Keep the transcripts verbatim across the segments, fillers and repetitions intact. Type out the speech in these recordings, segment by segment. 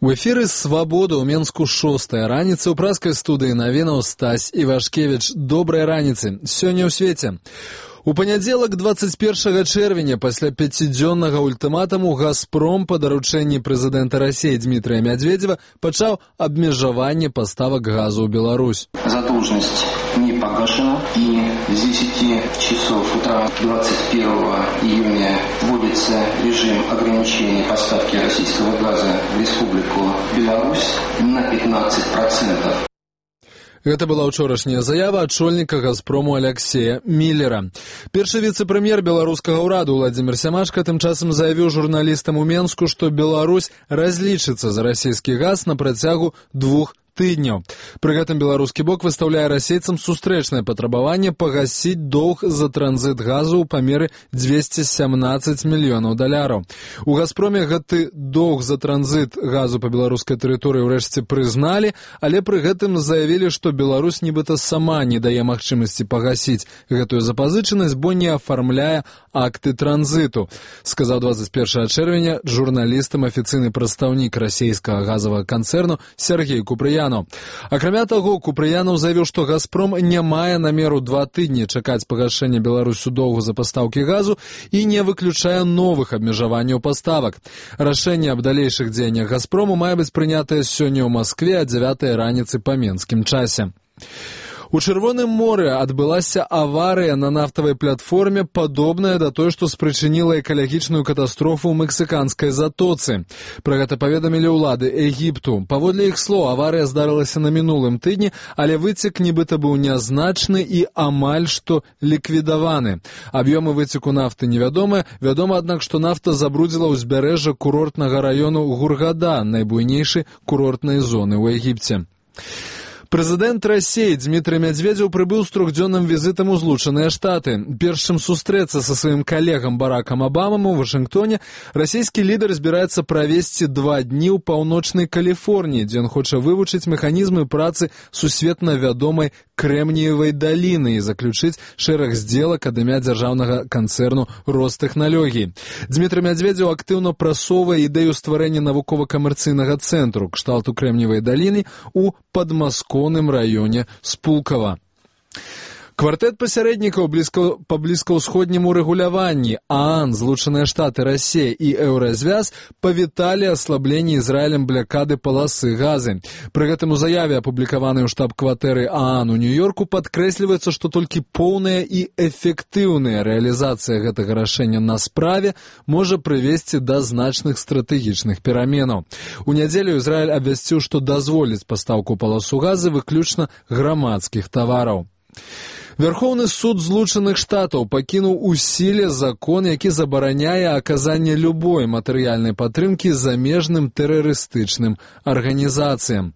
У эфіры «Свабода» ў Менску шостая раніца, у праскай студыі навінаў Стась Івашкевіч. Добрай раніцы. Сёння ў свеце. У панядзелак дваццаць першага чэрвеня пасля пяцідзённага ультыматуму «Газпром» па даручэнні прэзідэнта Расіі Дмітрия Медведева пачаў абмежаванне паставак газу ў Беларусь. Задолженность не погашена, и с десяти часов утра двадцать первого июня вводится режим ограничения поставки российского газа в Республику Беларусь на пятнадцать процентов. Гэта была ўчорашняя заява адшольніка «Газпрому» Аляксея Міллера. Першы віцэ-прэм'ер беларускага ўраду Владзімір Сямашка тым часам заявіў журналістам у Менску, што Беларусь разлічыцца за расійскі газ на працягу двух тыдняў. Пры гэтым беларускі бок выстаўляе расейцам сустрэчнае патрабаванне пагасіць доўг за транзіт газу ў памеры дзвесце сямнаццаць мільёнаў даляраў. У «Газпроме» гэты доўг за транзіт газу па беларускай тэрыторыі ўрэшце прызналі, але пры гэтым заявілі, што Беларусь нібыта сама не дае магчымасці пагасіць гэтую запазычанасць, бо не афармляе акты транзіту, сказаў дваццаць першага чэрвеня журналістам афіцыйны прадстаўнік расійскага газавага канцэрну Сергей Купрыянаў. Акрамя таго, Купрыянаў заявіў, што «Газпром» не мае намеру два тыдні чакаць пагашэння Беларусю доўгу за пастаўкі газу і не выключае новых абмежаванняў паставак. Рашэнне аб далейшых дзеяннях «Газпрому» мае быць прынятае сёння ў Маскве а дзявятай раніцы па менскім часе. У Чырвоным моры адбылася аварыя на нафтавай платформе, падобная да той, што спрычыніла экалагічную катастрофу ў мексіканскай затоцы. Пра гэта паведамілі ўлады Егіпту. Паводле іх слоў, аварыя здарылася на мінулым тыдні, але выцек нібыта быў нязначны і амаль што ліквідаваны. Аб'ёмы выцеку нафты невядомыя. Вядома, аднак, што нафта забрудзіла ўзбярэжжа курортнага раёну Гургада, найбуйнейшай курортнай зоны ў Егіпце. Прэзідэнт Расіі Дмітрий Медведев прыбыў з трохдзённым візітам у Злучаныя Штаты. Перш чым сустрэцца са сваім калегам Баракам Абамам у Вашынгтоне, расійскі лідар збіраецца правесці два дні ў паўночнай Каліфорніі, дзе ён хоча вывучыць механізмы працы сусветна вядомай Крэмніевай даліны і заключыць шэраг здзелак ад імя дзяржаўнага канцэрну Ростэхналогій. Дмітрий Медведев актыўна прасоўвае ідэю стварэння навукова-камерцыйнага цэнтру кшталту Крэмніевай даліны ў падмаскоўным раёне Спулкава. Квартэт пасярэднікаў блізка, па блізкаўсходняму рэгуляванні ААН, Злучаныя Штаты, Расія і Еўразвяз павіталі аслабленне Ізраілем блякады паласы газы. Пры гэтым у заяве, апублікаванай у штаб-кватэры ААН у Нью-Йорку, падкрэсліваецца, што толькі поўная і эфектыўная рэалізацыя гэтага рашэння на справе можа прывесці да значных стратэгічных пераменаў. У нядзелю Ізраіль абвясціў, што дазволіць пастаўку паласу газы выключна грамадскіх тавараў. Верховны суд Злучаных Штатаў пакінуў у сіле закон, які забараняе аказанне любой матэрыяльнай падтрымкі замежным тэрарыстычным арганізацыям.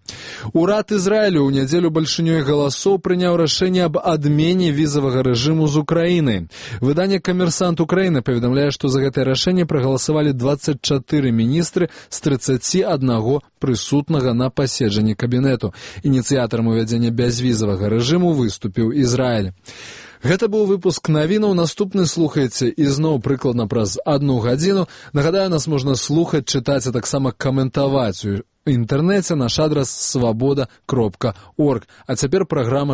Урад Ізраілю ў нядзелю бальшынёй галасоў прыняў рашэнне аб адмене візавага рэжыму з Украінай. Выданне «Камерсант Украіны» паведамляе, што за гэтае рашэнне прагаласавалі дваццаць чатыры міністры з трыццаці аднаго прысутнага на паседжанні кабінету. Ініцыятарам увядзення бязвізавага рэжыму выступіў Ізраіль. Гэта быў выпуск навінаў. Наступны слухайце ізноў прыкладна праз адну гадзіну. Нагадаю, нас можна слухаць, чытаць, а таксама каментаваць у інтэрнэце. Наш адрас свабода кропка орг. А цяпер праграма